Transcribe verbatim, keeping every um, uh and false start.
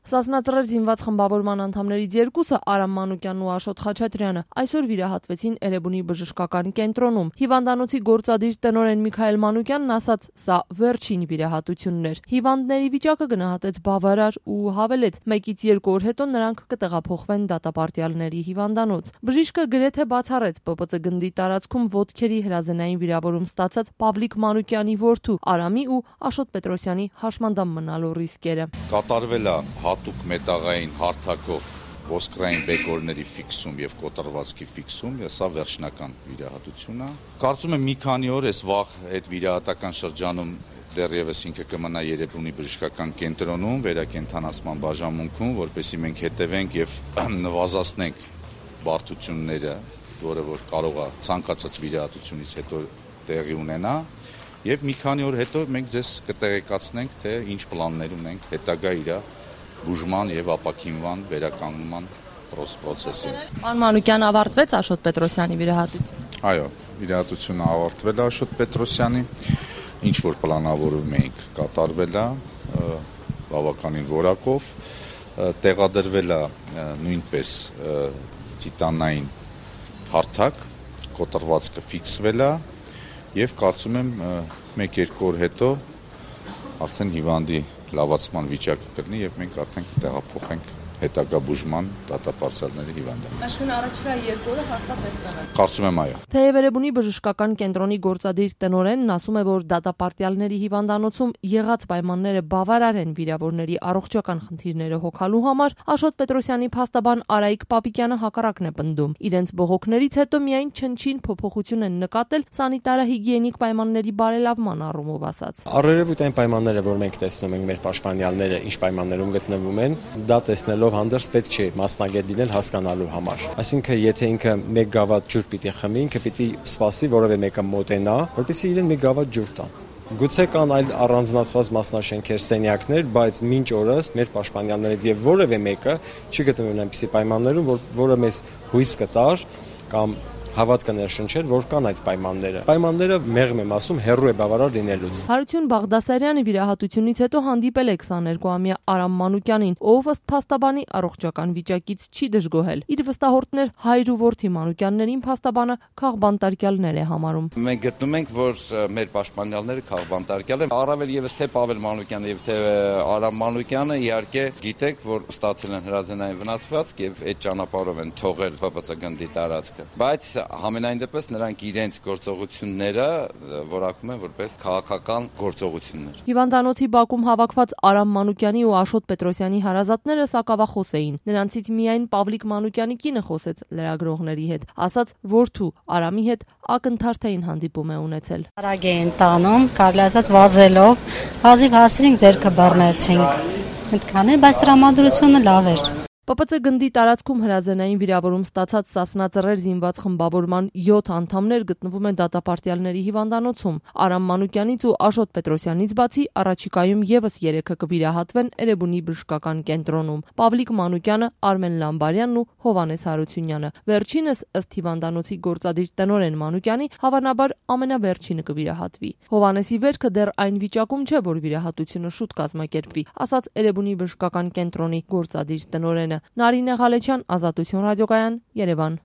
Սասնածռեր զինված խմբավորման անդամներից երկուսը Արամ Մանուկյանն ու Աշոտ Խաչատրյանը այսօր վիրահատվեցին Էրեբունի բժշկական կենտրոնում։ Հիվանդանոցի գործադիր տնօրեն Միքայել Մանուկյանն ասաց, սա վերջին վիրահատությունն էր։ Հիվանդների վիճակը գնահատեց բավարար ու հավելեց, մեկից երկու օր հետո նրանք կտեղափոխվեն դատապարտյալների հիվանդանոց։ Բժիշկը գրեթե բացառեց Պ Պ Ծ գնդի տարածքում ոտքերի հրազենային վիրավորում ստացած Պավլիկ Մանուկյանի որդու Արամի ու Աշոտ Պետրոսյանի հաշմանդամ մնալու ռիսկերը։ Կատարվել է հատուկ մետաղային հարթակով ոսկրային բեկորների ֆիքսում եւ կոտրվածքի ֆիքսում, սա վերջնական վիրահատություն է։ Կարծում եմ մի քանի օր այս վաղ այդ վիրահատական շրջանում դեռևս ինքը կմնա Էրեբունի բժշկական կենտրոնում, վերակենդանացման բաժանմունքում, որպեսզի մենք հետևենք եւ նվազեցնենք բարդությունները, որը որ կարող է ցանկացած վիրահատությունից հետո տեղի ունենա, եւ մի քանի օր հետո մենք ձեզ կտեղեկացնենք, թե ինչ պլաններ ունենք հետագա իր բուժման եւ ապաքինման վերականգնման process-ին։ Պարոն Մանուկյան, ավարտվեց Աշոտ Պետրոսյանի վիրահատությունը։ Այո, վիրահատությունը ավարտվել է Աշոտ Պետրոսյանի, ինչ որ պլանավորում էինք կատարվել է բավականին որակով, տեղադրվել է նույնպես տիտանային հարթակ, կոտրվածքը ֆիքսվել է եւ կարծում եմ մեկ-երկու օր հետո արդեն հիվանդի լավացման վիճակը կլինի եւ մենք արդեն կտեղափոխենք հետագա բուժման դատապարտյալների հիվանդանոց։ Այսինքն առաջիկա երկու օրը հաստատ տեսնենք։ Կարծում եմ այո։ Թեև Էրեբունի բժշկական կենտրոնի գործադիր տնօրենն ասում է, որ դատապարտյալների հիվանդանոցում եղած պայմանները բավարար են վիրավորների առողջական խնդիրները հոգալու համար, Աշոտ Պետրոսյանի փաստաբան Արայիկ Պապիկյանը հակառակն է պնդում։ Իրենց բողոքներից հետո միայն չնչին փոփոխություն են նկատել սանիտարահիգիենիկ պայմանների բարելավման առումով ասած։ Առերևույթ այն պայմանները, որ մենք տեսնում ենք մեր պաշտպանյալները, ինչ պայմաններում գտնվում են, դա տեսնելով հանդերձ պետք չէ մասնագետ լինել հասկանալու համար։ Այսինքն, եթե ինքը մեկ գավաթ ջուր պիտի խմի, ինքը պիտի սպասի որևէ մեկը մոտենա, որպեսզի իրեն մի գավաթ ջուր տա։ Գուցե կան այլ առանձնացված մասնաշենքեր, սենյակներ, բայց մինչ օրս մեր պաշտպանյալներից եւ որևէ մեկը չի գտնվում այնպիսի պայմաններում, որ որը մեզ հույս կտար կամ հավատ կներշնչեր, որ կան այդ պայմանները։ Պայմանները մեղմ եմ ասում, հեռու է բավարար լինելուց։ Հարություն Բաղդասարյանը վիրահատությունից հետո հանդիպել է քսաներկուամյա Արամ Մանուկյանին, ով ըստ փաստաբանի առողջական վիճակից չի դժգոհել։ Իր վստահորդներ հայր ու որդի Մանուկյաններին փաստաբանը քաղբանտարկյալներ է համարում։ Մենք գտնում ենք, որ մեր պաշտպանյալները քաղբանտարկյալ են, առավել եւս թե Պավել Մանուկյանը եւ թե Արամ Մանուկյանը իհարկե գիտեք, որ ստացել են հրազենային վնասվածք եւ այդ ճանապարհով են թողել Պ Պ Ծ գնդի տարածքը։ Բայց համենայն դեպս նրանք իրենց գործողությունները որակում են որպես քաղաքական գործողություններ։ Հիվանդանոցի բակում հավաքված Արամ Մանուկյանի ու Աշոտ Պետրոսյանի հարազատները սակավախոս էին։ Նրանցից միայն Պավլիկ Մանուկյանի կինը խոսեց լրագրողների հետ, ասաց, որդու Արամի հետ ակնթարթային հանդիպում է ունեցել։ Արագ էին տանում, կարելի ասած վազելով, հազիվ հասրինք ձեռքը բռնեցինք։ Այդքան էր, բայց տրամադրությունը լավ էր։ Պ Պ Ծ գնդի տարածքում հրազենային վիրավորում ստացած Սասնածռեր զինված խմբավորման յոթ անդամներ գտնվում են դատապարտյալների հիվանդանոցում։ Արամ Մանուկյանից ու Աշոտ Պետրոսյանից բացի առաջիկայում եւս երեքը կվիրահատվեն Էրեբունի բժշկական կենտրոնում։ Պավլիկ Մանուկյանը, Արմեն Լամբարյանն ու Հովհաննես Հարությունյանը։ Վերջինս ըստ հիվանդանոցի գործադիր տնօրեն Մանուկյանի հավանաբար ամենավերջինը կվիրահատվի։ Հովհաննեսի վերքը դեռ այն վիճակում չէ, որ վիրահատությունը շուտ կազմակերպվի, ասաց Էրեբունի բժշկական կենտրոնի գործադիր տնօրենը։ Նարինե Ղալեչյան, Ազատություն ռադիոկայան, Երևան։